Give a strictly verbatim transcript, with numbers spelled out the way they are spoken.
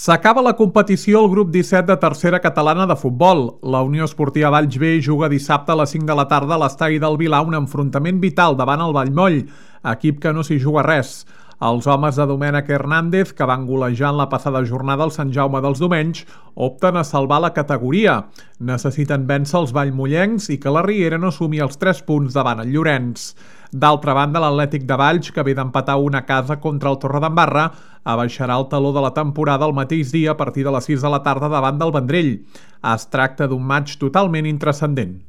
S'acaba la competició al grup disset de tercera catalana de futbol. La Unió Esportiva Valls B juga dissabte a les cinc de la tarda a l'estadi del Vilar un enfrontament vital davant el Vallmoll, equip que no s'hi juga res. Els homes de Domènec Hernández, que van golejar en la passada jornada al Sant Jaume dels Domenys, opten a salvar la categoria. Necessiten vèncer els vallmollencs i que la Riera no sumi els tres punts davant el Llorenç. D'altra banda, l'Atlètic de Valls, que ve d'empatar una casa contra el Torredembarra, abaixarà el taló de la temporada el mateix dia a partir de les sis de la tarda davant del Vendrell. Es tracta d'un matx totalment intranscendent.